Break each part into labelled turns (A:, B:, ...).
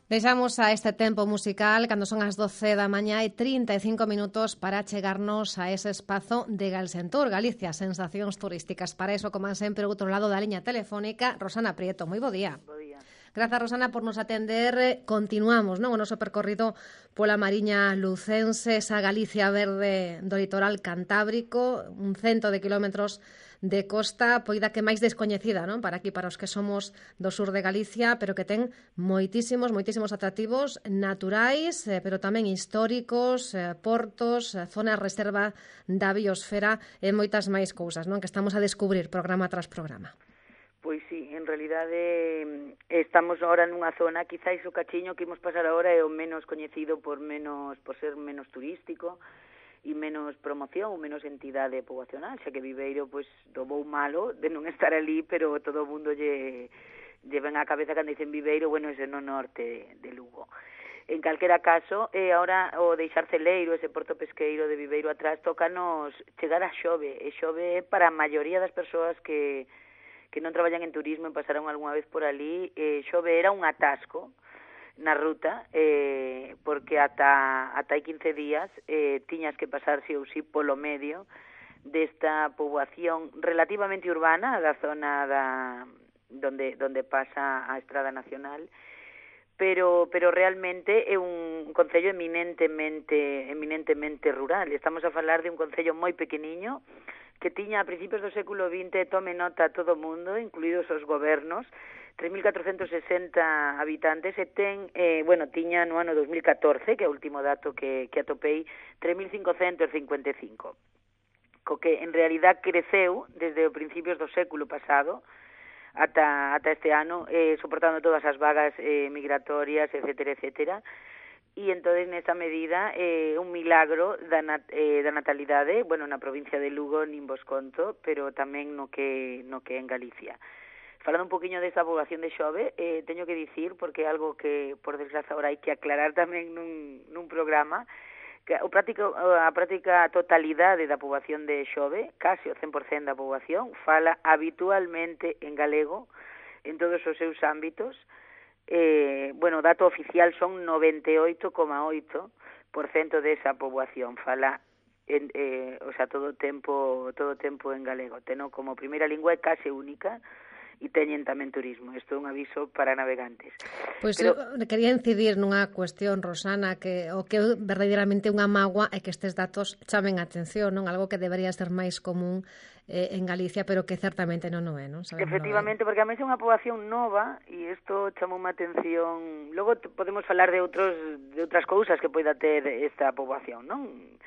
A: Deixamos a este tempo musical cando son as 12 da mañá e 35 minutos para chegarnos a ese espazo de Galsentur, Galicia, sensacións turísticas. Para iso, como sempre, outro lado da liña telefónica, Rosana Prieto. Moi bo día.
B: Bo día.
A: Grazas, Rosana, por nos atender. Continuamos, non, o noso percorrido pola Mariña Lucense, esa Galicia verde do litoral cantábrico, un 100 de kilómetros de costa, poida que máis descoñecida, non? Para aquí, para os que somos do sur de Galicia, pero que ten moitísimos atractivos naturais, pero tamén históricos, portos, zonas reserva da biosfera e moitas máis cousas, non? Que estamos a descubrir programa tras programa.
B: Pois sí, en realidade estamos agora nunha zona, quizáis o cachiño que imos pasar agora é o menos coñecido por ser menos turístico e menos promoción ou menos entidade poboacional, xa que Viveiro pois tomou malo de non estar ali, pero todo o mundo lle ven á cabeza cando dicen Viveiro, bueno, ese no norte de Lugo. En calquera caso, ahora o deixar Celeiro, ese porto pesqueiro de Viveiro atrás, tócanos chegar a Xove, e Xove para a maioría das persoas que non traballan en turismo e pasaron algunha vez por ali, Xove era un atasco na ruta, porque ata hai 15 días tiñas que pasar si ou si polo medio desta poboación relativamente urbana da zona donde pasa a Estrada Nacional, pero realmente é un concello eminentemente rural. Estamos a falar de un concello moi pequeniño que tiña a principios do século XX, tome nota todo o mundo, incluídos os gobernos, 3.460 habitantes e tiña no ano 2014, que é o último dato que atopei, 3.555. Co que en realidad creceu desde os principios do século pasado ata este ano, soportando todas as vagas migratorias, etcétera, e entonces nesa medida un milagro da natalidade, bueno, na provincia de Lugo nin vos conto, pero tamén no que en Galicia. Falando un poquinho desta poboación de Xove, teño que dicir, porque é algo que, por desgraza, ahora hai que aclarar tamén nun programa, que a práctica totalidade da poboación de Xove, case o 100% da poboación, fala habitualmente en galego en todos os seus ámbitos. O dato oficial son 98,8% desa poboación fala todo o tempo en galego. Teno como primeira lingua é case única e teñen tamén turismo. Isto é un aviso para navegantes.
A: Pois quería incidir nunha cuestión, Rosana, que o que é verdadeiramente unha mágoa é que estes datos chamen a atención, non? Algo que debería ser máis común en Galicia, pero que certamente non o é, non?
B: Efectivamente, porque a mí é unha poboación nova e isto chamou unha atención. Logo podemos falar de outras cousas que poida ter esta poboación, non?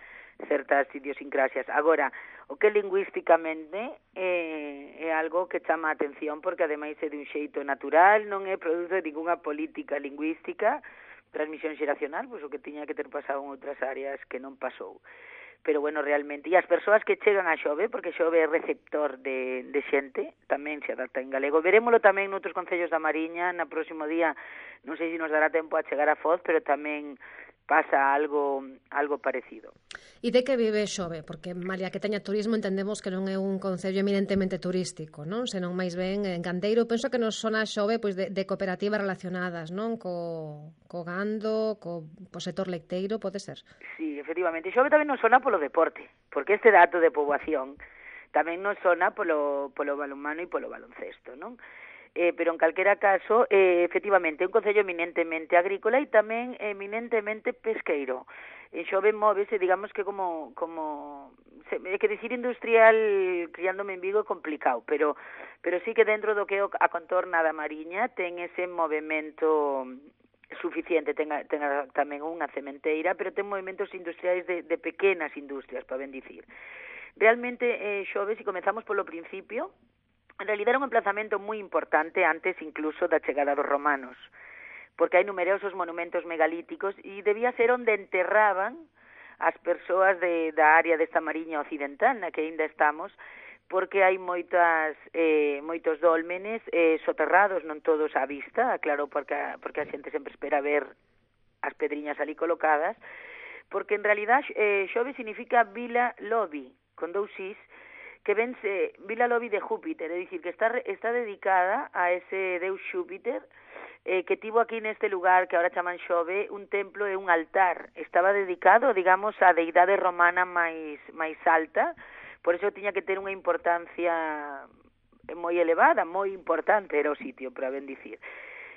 B: Certas idiosincrasias. Agora, o que lingüísticamente é algo que chama a atención porque ademais é de un xeito natural, non é produto de ninguna política lingüística, transmisión xeracional, pois o que tiña que ter pasado en outras áreas que non pasou. Pero bueno, realmente, e as persoas que chegan a Xove, porque Xove é receptor de xente, tamén se adapta en galego. Verémolo tamén noutros concellos da Mariña, na próximo día, non sei se nos dará tempo a chegar a Foz, pero tamén pasa algo parecido.
A: E de que vive Xove? Porque, malia que teña turismo, entendemos que non é un concello eminentemente turístico, non? Senón máis ben gandeiro. Penso que nos sona Xove pois de cooperativas relacionadas, non? Co gando, co sector leiteiro, pode ser?
B: Sí, efectivamente. Xove tamén nos sona polo deporte, porque este dato de poboación tamén nos sona polo balonmano e polo baloncesto, non? Pero en calquera caso, efectivamente, é un concello eminentemente agrícola e tamén eminentemente pesqueiro. En Xove móvese, digamos que é que dicir industrial criándome en Vigo é complicado, pero sí que dentro do que é a contorna da Mariña ten ese movimento suficiente, ten tamén unha cementeira, pero ten movimentos industriais de pequenas industrias, para ben dicir. Realmente, Xove, se comezamos polo principio, en realidad era un emplazamento moi importante antes incluso da chegada dos romanos, porque hai numerosos monumentos megalíticos e debía ser onde enterraban as persoas da área desta Mariña occidental na que ainda estamos, porque hai moitos dólmenes soterrados, non todos á vista, claro, porque a xente sempre espera ver as pedriñas ali colocadas, porque en realidad Xove significa Vila Lobi, con 2 is, que vense Vila Lobi de Júpiter, é dicir, que está dedicada a ese deus Xúpiter, que tivo aquí neste lugar que ahora chaman Xove un templo e un altar. Estaba dedicado, digamos, á deidade romana máis alta, por eso tiña que ter unha importancia moi elevada, moi importante era o sitio, para ben dicir.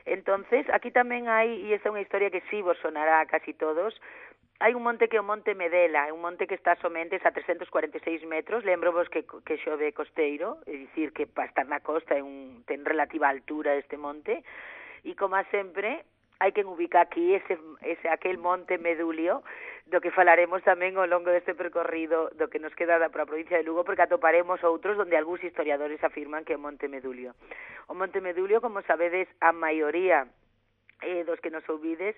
B: Entonces, aquí tamén hai, e esta é unha historia que sí vos sonará a casi todos, hai un monte que é o Monte Medela, é un monte que está somente a 346 metros, lembro-vos que Xove é costeiro, é dicir que para estar na costa ten relativa altura este monte, e como sempre hai que ubicar aquí aquel Monte Medulio, do que falaremos tamén ao longo deste percorrido do que nos queda para a provincia de Lugo, porque atoparemos outros onde algúns historiadores afirman que é o Monte Medulio. O Monte Medulio, como sabedes, a maioría dos que nos ouvides,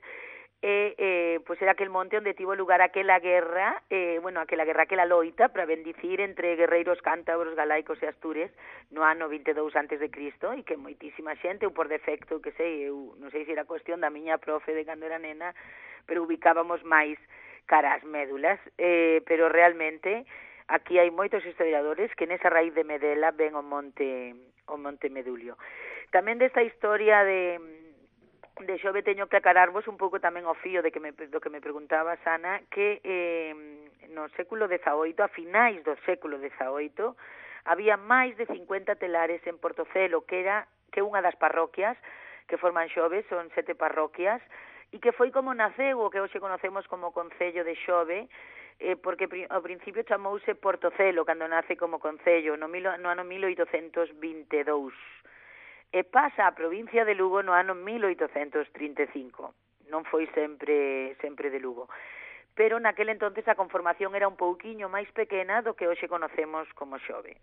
B: pois era aquel monte onde tivo lugar aquela guerra, aquela loita para bendicir entre guerreiros cántabros, galaicos e astures no ano 22 antes de Cristo, e que moitísima xente, ou por defecto, que sei, eu non sei se era cuestión da miña profe de cando era nena, pero ubicábamos máis cara as médulas, pero realmente aquí hai moitos historiadores que nesa raíz de Medela ven o monte Medulio. Tamén desta historia de Xove teño que aclararvos un pouco tamén o fío do que me preguntaba Ana, que no século XVIII, a finais do século XVIII, había máis de 50 telares en Portocelo, que é unha das parroquias que forman Xove, son 7 parroquias, e que foi como naceu o que hoxe conocemos como Concello de Xove, porque ao principio chamouse Portocelo cando nace como concello no ano 1822. E pasa a provincia de Lugo no ano 1835. Non foi sempre de Lugo. Pero naquele entonces a conformación era un pouquiño máis pequena do que hoxe conocemos como Xove.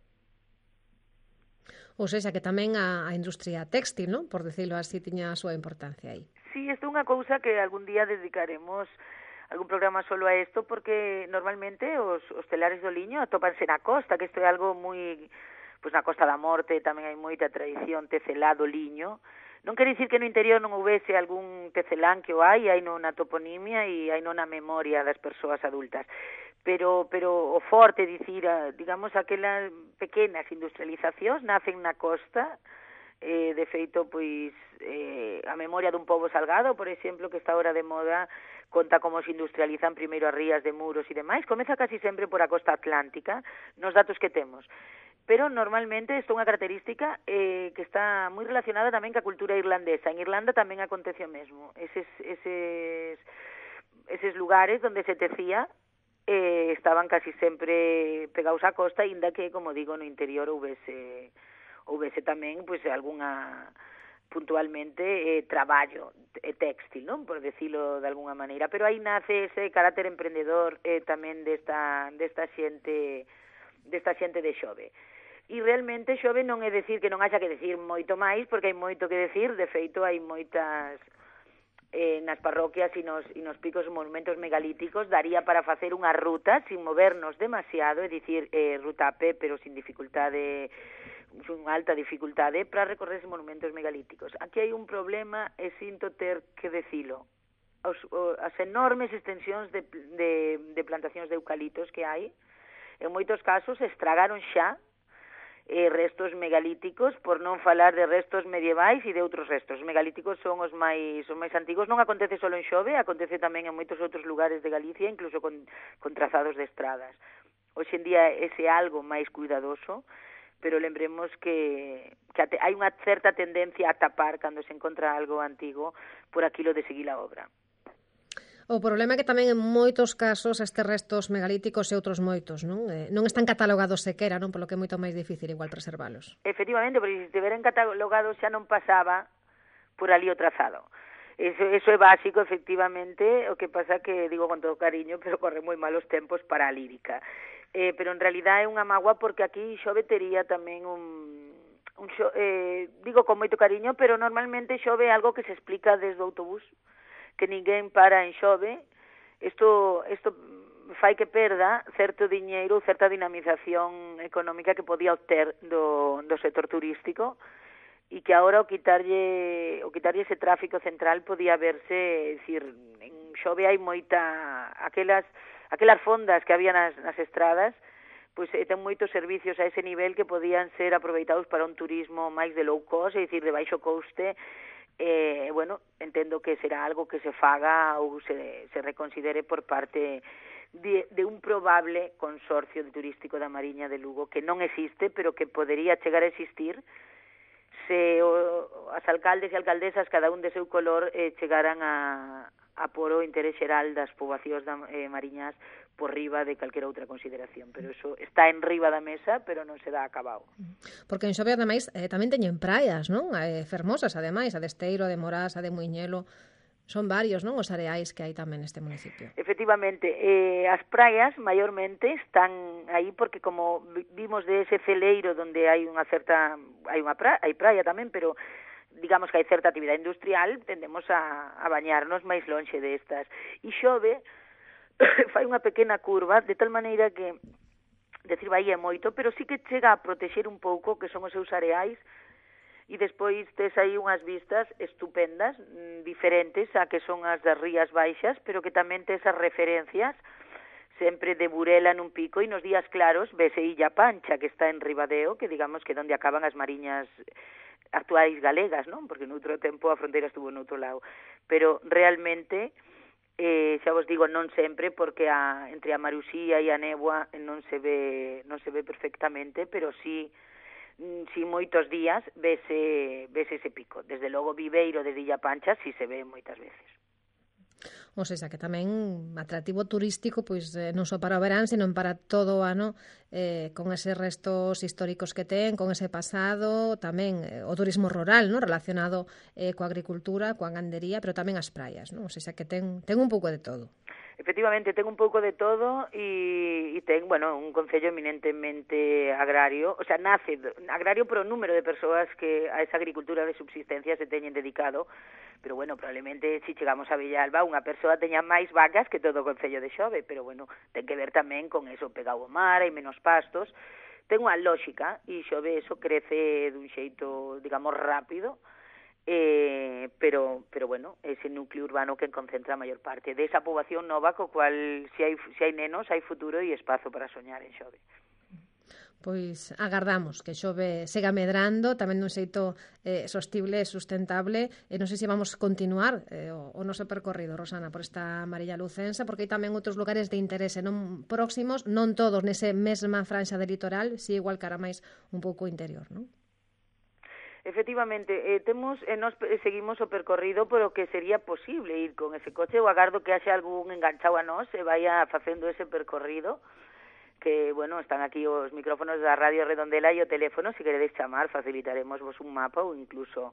A: Ou seja, que tamén a industria téxtil, non? Por decirlo así, tiña a súa importancia aí.
B: Sí, isto é unha cousa que algún día dedicaremos algún programa solo a isto, porque normalmente os telares do liño atópanse na costa, que isto é algo moi... Pois na Costa da Morte tamén hai moita tradición tecelado liño. Non quere dicir que no interior non houvese algún tecelán, que o hai non na toponimia e hai non na memoria das persoas adultas. Pero o forte, dicir, digamos, aquelas pequenas industrializacións nacen na costa, de feito, pois, a memoria dun pobo salgado, por exemplo, que está ahora de moda, conta como se industrializan primeiro as rías de Muros e demais. Comeza casi sempre por a costa atlántica, nos datos que temos. Pero normalmente isto é unha característica que está moi relacionada tamén ca cultura irlandesa. En Irlanda tamén acontece o mesmo. Eses lugares onde se tecía estaban casi sempre pegados á costa, inda que, como digo, no interior houvese tamén pois algunha puntualmente traballo téxtil, non? Por decirlo de alguna maneira. Pero aí nace ese carácter emprendedor tamén desta xente de Xove. E realmente Xove non é decir que non haxa que decir moito máis, porque hai moito que decir. De feito, hai moitas nas parroquias e nos picos monumentos megalíticos. Daría para facer unha ruta sin movernos demasiado, é dicir, ruta a pé, pero sin dificultade, sin alta dificultade, para recorrer esos monumentos megalíticos. Aquí hai un problema, e sinto ter que decilo. As enormes extensións de plantacións de eucaliptos que hai, en moitos casos estragaron xa restos megalíticos, por non falar de restos medievais e de outros restos. Os megalíticos son os máis antigos. Non acontece só en Xove, acontece tamén en moitos outros lugares de Galicia, incluso con trazados de estradas. Hoxe en día ese algo máis cuidadoso, pero lembremos que hai unha certa tendencia a tapar cando se encontra algo antigo por aquilo de seguir a obra.
A: O problema é que tamén en moitos casos estes restos megalíticos e outros moitos non están catalogados sequera, non? Polo que é moito máis difícil igual preservalos.
B: Efectivamente, porque se estiveran catalogados xa non pasaba por ali o trazado. Eso é básico, efectivamente, o que pasa que, digo con todo cariño, pero corre moi malos tempos para a lírica. Pero en realidad é unha mágoa, porque aquí Xove tería tamén digo con moito cariño, pero normalmente Xove é algo que se explica desde o autobús, que ninguén para en Xove. Isto fai que perda certo diñeiro, certa dinamización económica que podía obter do sector turístico, e que agora o quitarlle ese tráfico central podía verse, decir, en Xove hai moita aquelas fondas que había nas estradas, pois ten moitos servicios a ese nivel que podían ser aproveitados para un turismo máis de low cost, é dicir, de baixo coste, bueno, entendo que será algo que se faga ou se reconsidere por parte de un probable consorcio turístico da Mariña de Lugo, que non existe, pero que podería chegar a existir se as alcaldes e alcaldesas, cada un de seu color, chegaran a por o interés xeral das poboacións mariñas por riba de calquera outra consideración, pero eso está en riba da mesa, pero non se dá acabado.
A: Porque en Xove, ademais, tamén teñen praias, non? Fermosas, ademais, a de Esteiro, a de Morás, a de Muiñelo. Son varios, non, os areais que hai tamén neste municipio.
B: Efectivamente, as praias maiormente están aí porque como vimos de ese celeiro donde hai hai praia tamén, pero digamos que hai certa actividade industrial, tendemos a bañarnos máis lonxe destas. E Xove fai unha pequena curva, de tal maneira que decir vai é moito, pero sí que chega a protexer un pouco que son os seus areais. E despois tes aí unhas vistas estupendas, diferentes a que son as das Rías Baixas, pero que tamén tes as referencias sempre de Burela nun pico, e nos días claros vese Illa Pancha, que está en Ribadeo, que digamos que donde acaban as mariñas actuais galegas, non? Porque noutro tempo a fronteira estuvo noutro lado. Pero realmente, xa vos digo, non sempre, porque entre a Marusía e a néboa non se ve perfectamente, pero sí moitos días vese ese pico. Desde logo Viveiro de Illa Pancha si se ve moitas veces.
A: Ou seja, que tamén atractivo turístico, pois non só para o verán, senón para todo o ano, con eses restos históricos que ten, con ese pasado, tamén o turismo rural, non, relacionado coa agricultura, coa gandería, pero tamén as praias, non? Ou seja, que ten un pouco de todo.
B: Efectivamente, ten un pouco de todo e ten, bueno, un concello eminentemente agrario, o sea, nace agrario por o número de persoas que a esa agricultura de subsistencia se teñen dedicado, pero bueno, probablemente se chegamos a Villalba unha persoa teña máis vacas que todo o concello de Xove, pero bueno, ten que ver tamén con eso, pegado ao mar, hai menos pastos, ten unha lógica e Xove eso crece dun xeito, digamos, rápido, pero bueno, ese núcleo urbano que concentra a maior parte desa poboación nova, co cual se hai nenos, hai futuro e espazo para soñar en Xove.
A: Pois agardamos que Xove sega medrando tamén dun xeito sostible e sustentable, e non sei se vamos continuar o noso percorrido, Rosana, por esta Mariña lucense, porque hai tamén outros lugares de interese non próximos, non todos nese mesma franxa de litoral, si igual cara máis un pouco interior, non?
B: Efectivamente, nós seguimos o percorrido polo que sería posible ir con ese coche. Eu agardo que haxe algún enganchado a nós e vaya facendo ese percorrido, que, bueno, están aquí os micrófonos da Radio Redondela e o teléfono, se queredes chamar, facilitaremos vos un mapa ou incluso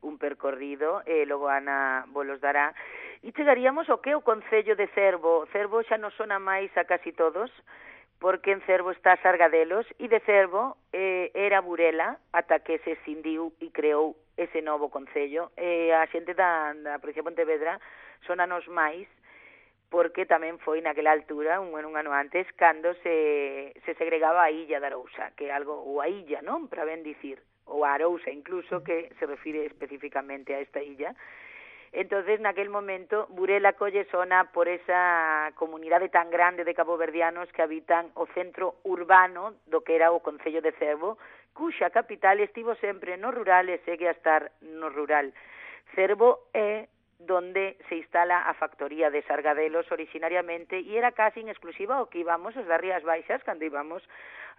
B: un percorrido, logo Ana vos los dará. E chegaríamos ao que é o Concello de Cervo. Cervo xa non sona máis a casi todos, porque en Cervo está Sargadelos, e de Cervo era Burela, ata que se escindiu e creou ese novo concello. A xente da provincia de Pontevedra sonanos máis, porque tamén foi naquela altura, un ano antes, cando se segregaba a illa de Arousa, que é algo, ou a illa, non? Para ben dicir, ou a Arousa incluso, que se refire especificamente a esta illa. Entonces, naquel momento, Burela colle sona por esa comunidade tan grande de caboverdianos que habitan o centro urbano do que era o Concello de Cervo, cuxa capital estivo sempre no rural e segue a estar no rural. Cervo é donde se instala a factoría de Sargadelos originariamente, e era casi en exclusiva o que íbamos os das Rías Baixas cando íbamos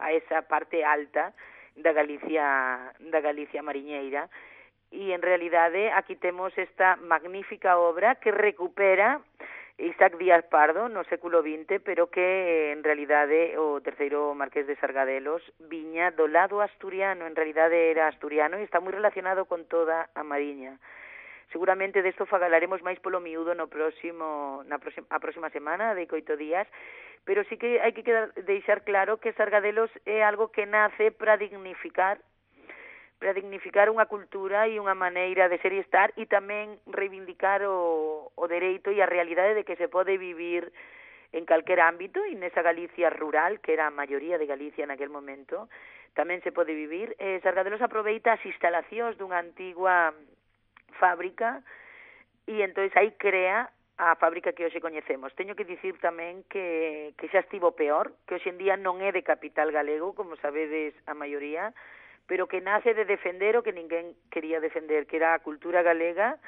B: a esa parte alta da Galicia mariñeira. E en realidade aquí temos esta magnífica obra que recupera Isaac Díaz Pardo no século XX, pero que en realidade o terceiro marqués de Sargadelos viña do lado asturiano, en realidade era asturiano e está moi relacionado con toda a Mariña. Seguramente desto falaremos máis polo miúdo a próxima semana, de 8 días, pero sí que hai que deixar claro que Sargadelos é algo que nace para dignificar unha cultura e unha maneira de ser e estar, e tamén reivindicar o dereito e a realidade de que se pode vivir en calquer ámbito, e nesa Galicia rural, que era a maioría de Galicia naquel momento, tamén se pode vivir. Sargadelos aproveita as instalacións dunha antigua fábrica e entón aí crea a fábrica que hoxe coñecemos. Teño que dicir tamén que xa estivo peor, que hoxe en día non é de capital galego, como sabedes a maioría, pero que nace de defender o que ninguén quería defender, que era a cultura galega,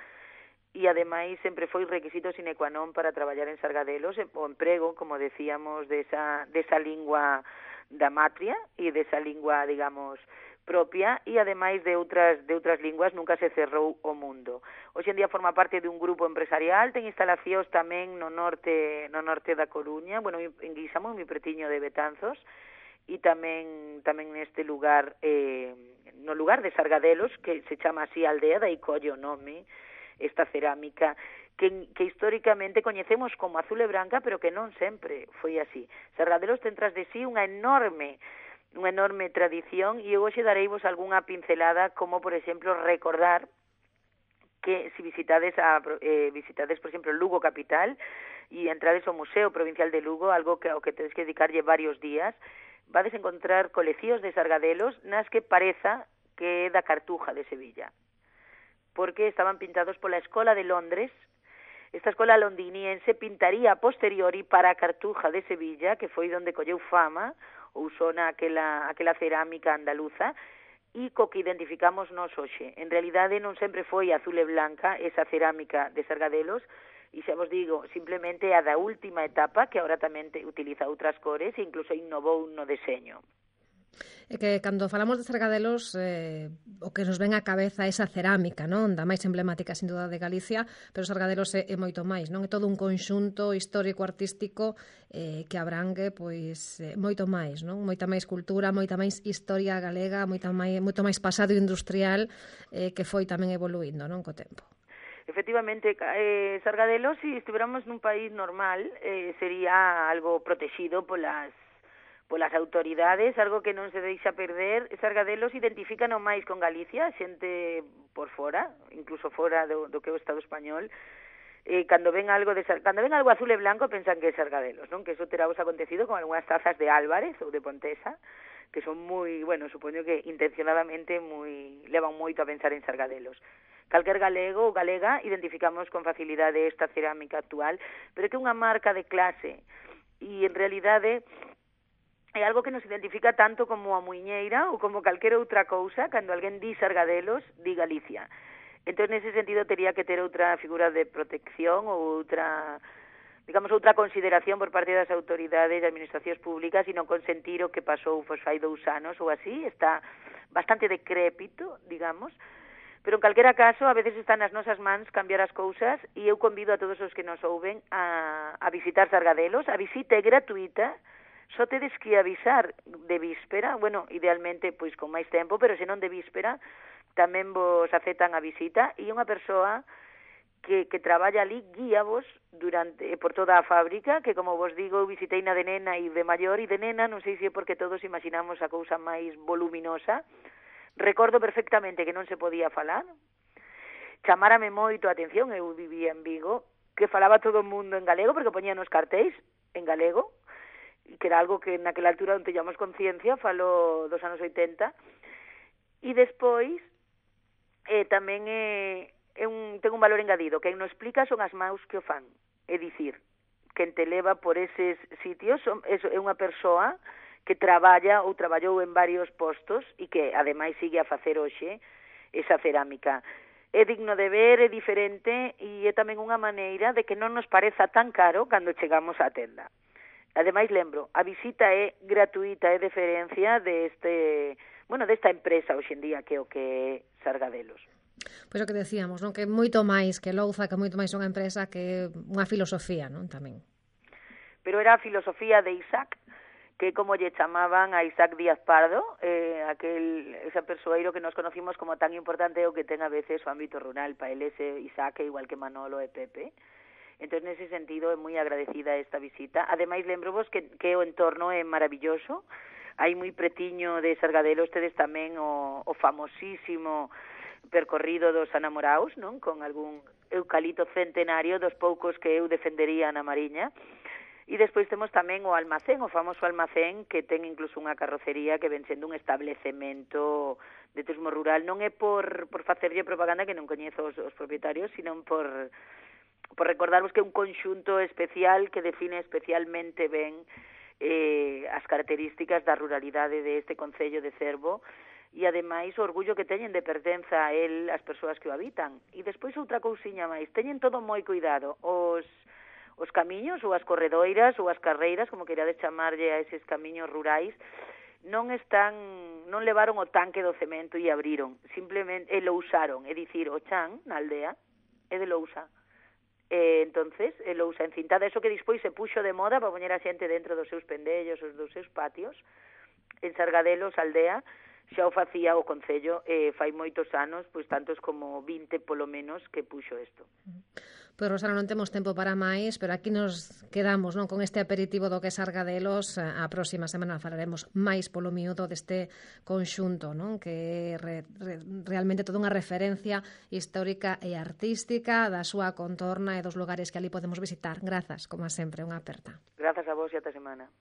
B: e ademais sempre foi requisito sine qua non para traballar en Sargadelos, o emprego, como decíamos, desa lingua da matria e desa lingua, digamos, propia, e ademais de outras linguas nunca se cerrou o mundo. Hoxe en día forma parte de un grupo empresarial, ten instalacións tamén no norte da Coruña, bueno, en Guisamo, moi pretiño de Betanzos, e tamén neste lugar, no lugar de Sargadelos, que se chama así aldea, dai colle o nome, esta cerámica que históricamente coñecemos como azul e branca, pero que non sempre foi así. Sargadelos ten tras de sí unha enorme tradición, e eu hoxe dareivos algunha pincelada, como, por exemplo, recordar que se visitades, por exemplo, Lugo capital e entrades ao Museo Provincial de Lugo, algo ao que tedes que dedicarlle varios días, vades encontrar coleccións de Sargadelos nas que pareza que é da Cartuja de Sevilla, porque estaban pintados pola Escola de Londres. Esta escola londiniense pintaría a posteriori para a Cartuja de Sevilla, que foi onde colleu fama ou sona aquela cerámica andaluza, e co que identificamos nós hoxe. En realidade non sempre foi azul e blanca esa cerámica de Sargadelos, e xa vos digo, simplemente a da última etapa, que agora tamén utiliza outras cores e incluso innovou no deseño.
A: É que cando falamos de Sargadelos, o que nos ven á cabeza é esa cerámica, non? Da máis emblemática, sin duda, de Galicia, pero Sargadelos é moito máis, non? É todo un conxunto histórico-artístico que abrangue, pois, moito máis, non? Moita máis cultura, moita máis historia galega, moito máis pasado industrial que foi tamén evoluindo, non? Co tempo.
B: Efectivamente, Sargadelos, se estiveramos nun país normal, sería algo protegido polas autoridades, algo que non se deixa perder. Sargadelos identifican máis con Galicia, xente por fora, incluso fora do que é o Estado español. Cando ven algo azul e blanco pensan que é Sargadelos, non? Que eso terá vos acontecido con algunhas tazas de Álvarez ou de Pontesa, que son moi, bueno, supoño que intencionadamente levan moito a pensar en Sargadelos. Calquer galego ou galega identificamos con facilidade esta cerámica actual, pero que é unha marca de clase, e en realidade é algo que nos identifica tanto como a muiñeira ou como calquera outra cousa. Cando alguén di Sargadelos, di Galicia. Entón, nese sentido, tería que ter outra figura de protección ou outra consideración por parte das autoridades e administracións públicas, e non consentir o que pasou fai 2 anos ou así. Está bastante decrépito, digamos, pero en calquera caso, a veces están nas nosas mans cambiar as cousas, e eu convido a todos os que nos ouven a visitar Sargadelos. A visita é gratuita, só tedes que avisar de víspera, bueno, idealmente pois con máis tempo, pero se non de víspera, tamén vos aceptan a visita, e unha persoa que traballa ali guíavos por toda a fábrica, que, como vos digo, visitei na de nena e de maior, e de nena non sei se é porque todos imaginamos a cousa máis voluminosa. Recordo perfectamente que non se podía falar, chamárame moito a atención, eu vivía en Vigo, que falaba todo o mundo en galego, porque poñían os cartéis en galego, que era algo que naquela altura non teñamos conciencia, falo dos anos 80, e despois tamén ten un valor engadido, que non explica son as maus que o fan, é dicir, quen te leva por eses sitios é unha persoa que traballa ou traballou en varios postos e que ademais sigue a facer hoxe esa cerámica. É digno de ver, é diferente, e é tamén unha maneira de que non nos pareza tan caro cando chegamos á tenda. Ademais, lembro, a visita é gratuita, é deferencia desta empresa hoxe en día, que é o que é Sargadelos.
A: Pois o que decíamos, non? Que moito máis que Louza, que moito máis unha empresa, que unha filosofía, non? Tamén.
B: Pero era a filosofía de Isaac, que como lle chamaban a Isaac Díaz Pardo, ese persoeiro que nos conocimos como tan importante o que ten a veces o ámbito rural. Para ele ese Isaac é igual que Manolo e Pepe. Entón, nese sentido, é moi agradecida esta visita. Ademais, lembrovos que o entorno é maravilloso. Hai moi pretiño de Sargadelos tedes tamén o famosísimo percorrido dos Anamoraos, non? Con algún eucalipto centenario, dos poucos que eu defendería na Mariña. E despois temos tamén o almacén, o famoso almacén, que ten incluso unha carrocería que ven sendo un establecemento de turismo rural. Non é por facerlle propaganda, que non coñezo os propietarios, sino por recordarvos que é un conxunto especial que define especialmente ben as características da ruralidade deste concello de Cervo, e ademais o orgullo que teñen de pertenza a el as persoas que o habitan. E despois outra cousiña máis, teñen todo moi cuidado, os camiños ou as corredoiras ou as carreiras, como queirades chamarlle a eses camiños rurais, non levaron o tanque do cemento e abriron, simplemente lo usaron, é dicir, o chan na aldea é de lousa. Entonces, lousa encintada, eso que despois se puxo de moda para poñer a xente dentro dos seus pendellos, dos seus patios. En Sargadelos, aldea, xa o facía o Concello fai moitos anos, pois tantos como 20 polo menos que puxo isto.
A: Pois, Rosana, non temos tempo para máis, pero aquí nos quedamos, non, con este aperitivo do que é Sargadelos. A próxima semana falaremos máis polo miúdo deste conxunto, non, que é realmente toda unha referencia histórica e artística da súa contorna e dos lugares que ali podemos visitar. Grazas, como sempre, unha aperta.
B: Grazas a vos e ata semana.